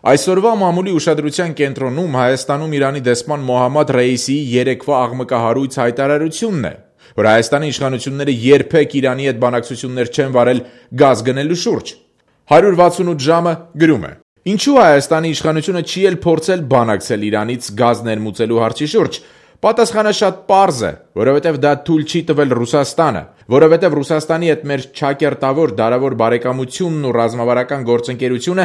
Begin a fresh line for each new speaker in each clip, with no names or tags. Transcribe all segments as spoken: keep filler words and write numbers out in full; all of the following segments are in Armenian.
Այսօրվա մամուլի ուշադրության կենտրոնում Հայաստանում Իրանի դեսպան Մոհամմադ Ռեյիսիի երեկվա աղմկահարույց հայտարարությունն է, որ Հայաստանի իշխանությունները երբեք Իրանի հետ բանակցություններ չեն վարել գազ գնելու շուրջ։ հարյուր վաթսունութ ժամը գրում է. Ինչու Հայաստանի իշխանությունը չի էլ փորձել բանակցել Իրանից գազ ներմուծելու հարցի շուրջ։ Պատասխանը շատ պարզ է, որովհետև դա թույլ չի տվել Ռուսաստանը, որովհետև Ռուսաստանի հետ մեր չակերտավոր դարավոր բարեկամությունն ու ռազմավարական գործընկերությունը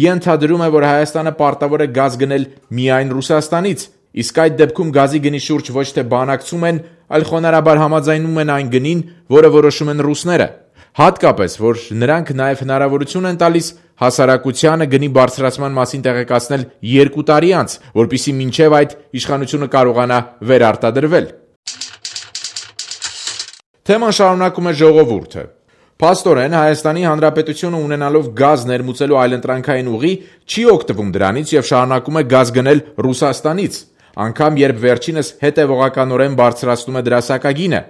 ենթադրում է, որ Հայաստանը պարտավոր է գազ գնել միայն Ռուսաստանից, իսկ այդ դեպքում գազի գնի շուրջ ոչ թե բանակցում են, այլ խոնարհաբար համաձայնում են այն գնին, որը որոշում են ռուսները։ Հատկապես, որ նրանք նաև հնարավորություն են տալիս հասարակությանը գնի բարձրացման մասին տեղեկացնել երկու տարի անց, որպեսզի մինչև այդ իշխանությունը կարողանա վերարտադրվել։ Թեման շարունակում է ժողովուրդը։ Փաստորեն Հայաստանի Հանրապետությունը ունենալով գազ ներմուծելու այլընտրանքային ուղի չի օգտվում դրանից եւ շարունակում է գազ գնել Ռուսաստանից, անգամ երբ վերջինս հետևողականորեն բարձրացնում է դրա սակագինը։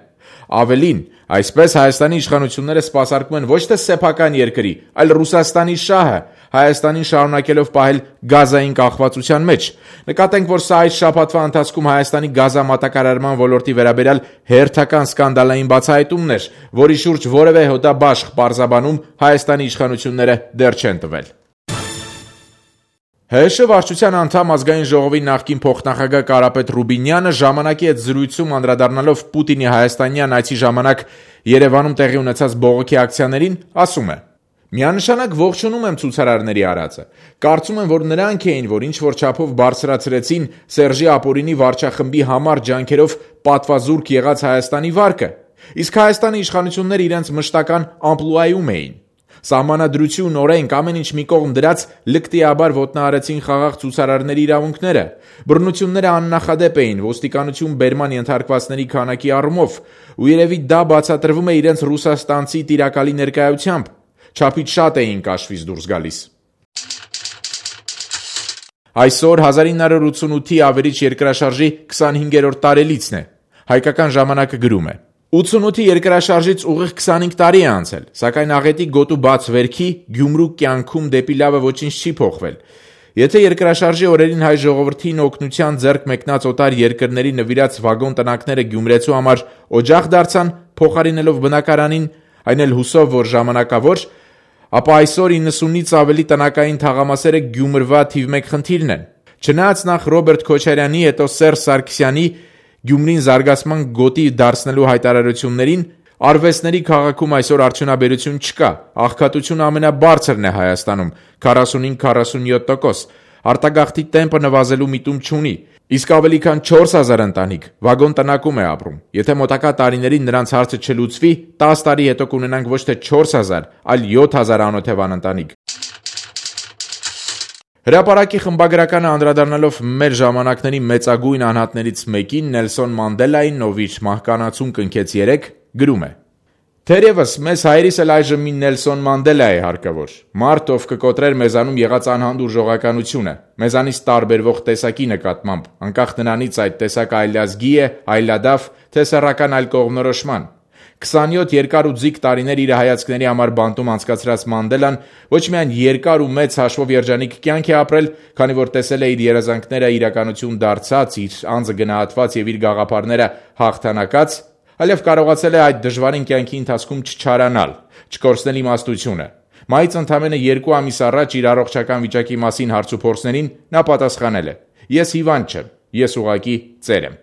Ավելին, այսպես Հայաստանի իշխանությունները սպասարկում են ոչ թե սեփական երկրի, այլ Ռուսաստանի շահը, Հայաստանին շարունակելով պահել գազային կախվածության մեջ։ Նկատենք, որ սա այս շաբաթվա ընթացքում Հայաստանի գազամատակարարման ոլորտի վերաբերյալ հերթական սկանդալային բացահայտումն էր, որի շուրջ որևէ հոդաբաշխ պարզաբանում Հայաստանի իշխանությունները դեռ չեն տվել։ ՀՀՇ վարչության անդամ ազգային ժողովի նախկին փոխնախագահ Կարապետ Ռուբինյանը ժամանակի հետ զրույցում անդրադառնալով Պուտինի հայաստանյան այցի ժամանակ Երևանում տեղի ունեցած բողոքի ակցիաներին ասում է. «Միանշանակ ողջունում եմ ցուցարարների արածը։ Կարծում եմ, որ նրանք էին, որ ինչ-որ չափով բարձրացրեցին Սերժի Ապօրինի վարչախմբի համար ջանքերով պատվազուրկ եղած Հայաստանի վարկը, իսկ Հայաստանի իշխանությունները իրենց մշտական ամպլուայում էին։ Սահմանադրություն, օրենք, ամեն ինչ մի կողմ դրած լկտիաբար ոտնահարեցին խաղաղ ցուցարարների իրավունքները։ Բռնությունները աննախադեպ էին ոստիկանություն բերման ենթարկվածների քանակի առումով, ու երևի դա բացատրվում է իրենց ռուսաստանցի տիրակալի ներկայությամբ։ Չափից շատ էին կաշվից դուրս գալիս»։ Այսօր հազար ինը հարյուր ութսունութի ավերիչ երկրաշարժի քսանհինգերորդ տարելիցն է։ Հայկական ժամանակը գրում է. ութսունութի երկրաշարժից ուղիղ քսանհինգ տարի է անցել, սակայն աղետի գոտու բաց վերքի Գյումրու կյանքում դեպի լավը ոչինչ չի փոխվել։ Եթե երկրաշարժի օրերին հայ ժողովրդին օգնության ձեռք մեկնած օտար երկրների նվիրած վագոն տնակները գյումրեցու համար օջախ դարձան, փոխարինելով բնակարանին, այն էլ հուսով, որ ժամանակավոր, ապա այսօր իննսունից ավելի տնակային թաղամասերը Գյումրվա թիվ մեկ խնդիրն են։ Չնայած նախ Ռոբերտ Քոչարյանի, հետո Սերժ Սարգսյանի Գյումրին զարգացման գոտի դարձնելու հայտարարություններին, արվեստների քաղաքում այսօր արդյունաբերություն չկա, աղքատությունը ամենաբարձրն է Հայաստանում՝ քառասունհինգ քառասունյոթ տոկոս, արտագաղթի տեմպը նվազելու միտում չունի, իսկ ավելի քան չորս հազար ընտանիք վագոն տնակում է ապրում։ Եթե մոտակա տարիներին նրանց հարցը չլուծվի, տասը տարի հետո կունենանք ոչ թե չորս հազար, այլ յոթ հազար անօթևան ընտանիք։ Հրապարակի խմբագրականը անդրադառնալով մեր ժամանակների մեծագույն անհատներից մեկին Նելսոն Մանդելային, ով իր մահկանացուն կնքեց երեկ, գրում է. «Թերևս մեզ հայրիս էլ այժմ մի Նելսոն Մանդելա է հարկավոր, մարդ, ով կկոտրեր մեզանում եղած անհանդուր ժողականությունը, մեզանից տարբերվող տեսակի նկատմամբ, անկախ նրանից այդ տեսակը այլազգի է, այլադավ, թե սեռական այլ կողմնորոշման։ քսանյոթ երկար ու ձիգ տարիներ իր հայացքների համար բանտում անցկացրած Մանդելան ոչ միայն երկար ու մեծ հաշվով երջանիկ կյանք է ապրել, քանի որ տեսել է իր երազանքները իրականություն դարձած, իր անձը գնահատված եւ իր գաղափարները հաղթանակած, այլև կարողացել է այդ դժվարին կյանքի ընթացքում չչարանալ, չկորցնել իմաստությունը։ Մայից ընդամենը երկու ամիս առաջ իր առողջական վիճակի մասին հարցուփորձներին նա պատասխանել է. «Ես հիվանդ չեմ, ես ուղղակի ծեր եմ»։